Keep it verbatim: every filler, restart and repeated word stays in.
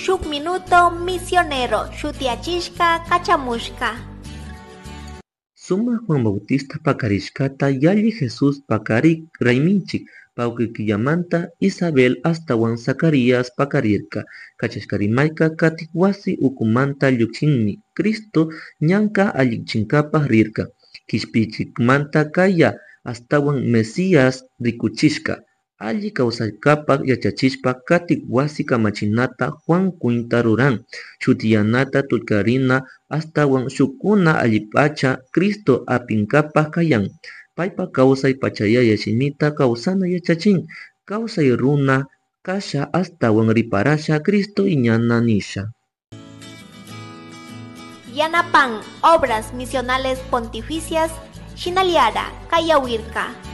Shuk Minuto Misionero shutiyachishka kachamushka. Sumak Juan Bautista pakarishkata yalli Jesus pakarik rayminchik pawkar killamanta Isabel ashtawan Zacarías pakarirka. Kachashka rimayka katik wasi ukumanta llukshinmi Cristo ñanka allichinkapak rirka. Kishpichikmanta kaya ashtawan Mesías rikuchishka. Alli kawsaykapak yachachishpa katik wasi kamachinata Juan kwinta ruran. Shutiyanata tulkarina ashtawan shukkuna allipacha Cristo apinkapak kayan. Paypa kawsay pachayaya shimita kawsana yachachin. Kawsay runa kasha ashtawan riparasha Cristo iñana nisha. Yanapan Obras Misionales Pontificias Shinaliara Kayawirka.